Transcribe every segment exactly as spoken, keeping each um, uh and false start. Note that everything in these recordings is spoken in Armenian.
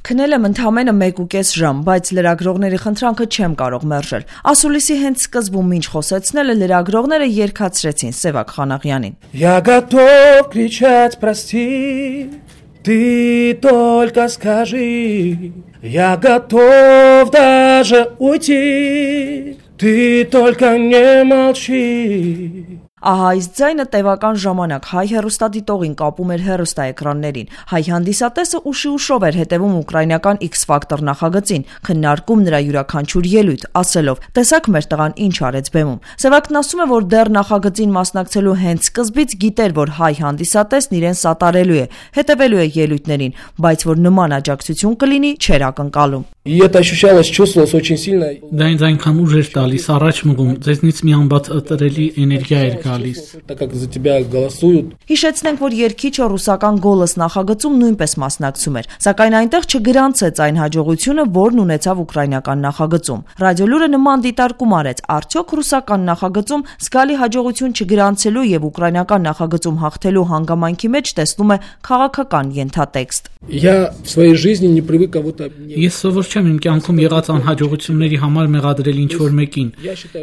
Քնել եմ ընդամենը մեկ ու կես ժամ, բայց լրագրողների խնդրանքը չեմ կարող մերժել։ Ասուլիսի հենց սկզբում ինչ խոսեցնել լրագրողները երգացրեցին Սևակ Խանաղյանին։ Я готов кричать прости, ты только скажи, я готов даже уйти, ты только не молчи. Ահա այս ձայնը տևական ժամանակ հայ հեռուստադիտողին կապում էր հեռուստաէկրաններին։ Հայ հանդիսատեսը ուշի ուշով էր հետևում ուկրաինական X-Factor նախագծին, քննարկում նրա յուրաքանչյուր ելույթ, ասելով. «Տեսակ մեր տղան ինչ արեց բեմում»։ Սևակն ասում է, որ դեռ նախագծին մասնակցելու հենց սկզբից գիտեր, որ հայ հանդիսատեսն իրեն սատարելու է, հետևելու է ելույթներին, բայց որ նման աջակցություն կլինի, չէր ակնկալում։ И это ощущалось, чувствовалось очень сильно. Դա ինձ այնքան ուժ էր տալիս, առաջ մղում, ձեզնից մի անբացատրելի էներգիա էր գալիս։ Так как за тебя голосуют. Հիշեցնենք, որ երգիչը ռուսական «Գոլոս» նախագծում նույնպես մասնակցում էր, սակայն այնտեղ չգրանցեց այն հաջողությունը, որն ունեցավ ուկրաինական նախագծում։ Ռադիոլուրը նման դիտարկում арեց, արդյոք ռուսական նախագծում զգալի հաջողություն չգրանցելու եւ ուկրաինական նախագծում հաղթելու հանգամանքի մեջ տեսնում է քաղաքական ենթատեքստ։ Я в своей жизни не привык кого-то. Ես սովոր չեմ իմ կյանքում եղած անհաջողությունների համար մեղադրել ինչ-որ մեկին։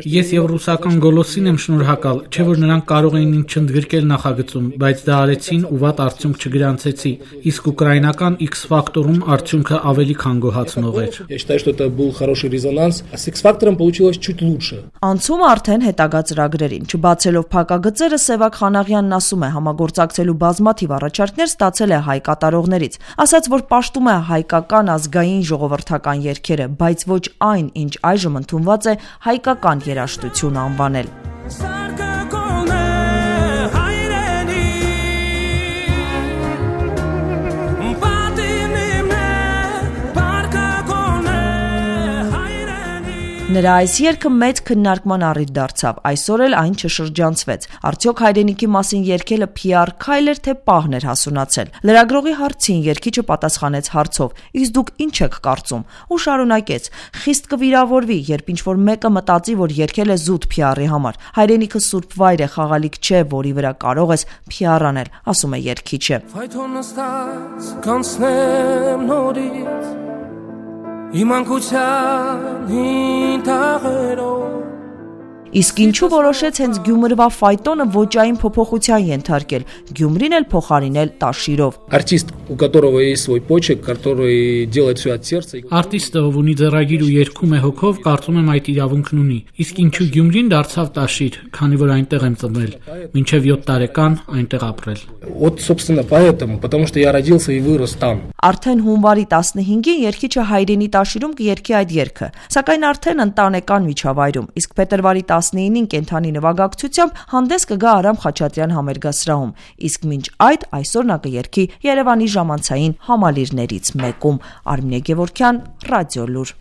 Ես եւ ռուսական «Գոլոսին» եմ շնորհակալ, չէ՞ որ նրանք կարող էին ինձ չընդգրկել նախագծում, բայց դա արեցին ու վատ արդյունք չգրանցեցի, իսկ ուկրաինական X-Factor-ում արդյունքը ավելի քան գոհացնող էր։ Я считаю, что это был хороший резонанс, а с X-Factor получилось чуть лучше. Անցումը արդեն հետագա ծրագրերին, չբացելով փակագծերը Սևակ Խանաղյանն ասում է, համագործակցելու բազմաթիվ առաջարկներ ստացել է հայ կատարողներից, ասաց, որ պաշտում է հայկական ազգային ժողովրդական երգերը, բայց ոչ այն, ինչ այժմ ընդունված է հայկական երաժշտություն անվանել։ Նրա այս երգը մեծ քննարկման առիթ դարձավ, այսօր էլ այն չշրջանցվեց։ Արդյոք հայրենիքի մասին երգելը Փի Ար քայլ էր, թե պահն էր հասունացել։ Լրագրողի հարցին երգիչը պատասխանեց հարցով. «Իսկ դուք ինչ եք կարծում» ու շարունակեց. «Խիստ կվիրավորվի, երբ ինչ-որ մեկը մտածի, որ երգել է զուտ Փի Արի համար։ Հայրենիքը սուրբ վայր է, խաղալիք չէ, որի վրա կարող ես Փի Ար անել», ասում է երգիչը։ Իսկ ինչու որոշեց հենց Գյումրվա ֆայտոնը ոճային փոփոխության ենթարկել, Գյումրին էլ փոխարինել Տաշիրով։ Артист, у которого есть свой почерк, который делает все от сердца. Արտիստը, ով ունի ձեռագիր ու երգում է հոգով, կարծում եմ այդ իրավունքն ունի։ Իսկ ինչու Գյումրին դարձավ Տաշիր, քանի որ այնտեղ եմ ծնվել, մինչև յոթ տարեկան այնտեղ ապրել։ Вот, собственно, поэтому, потому что я родился и вырос там. Արդեն հունվարի տասնհինգին երգիչը հայրենի Տաշիրում կերգի այդ երգը, սակայն արդեն ընտանեկան միջավայրում, իսկ փետրվարի տասնինին կենթանի նվագակցությամբ հանդես կգա Արամ Խաչատրյան համերգասրահում, իսկ մինչ այդ այսօր նա կերգի Երևանի ժամանցային համալիրներից մեկում։ Արմինե Գևորգյան, Ռադիոլուր։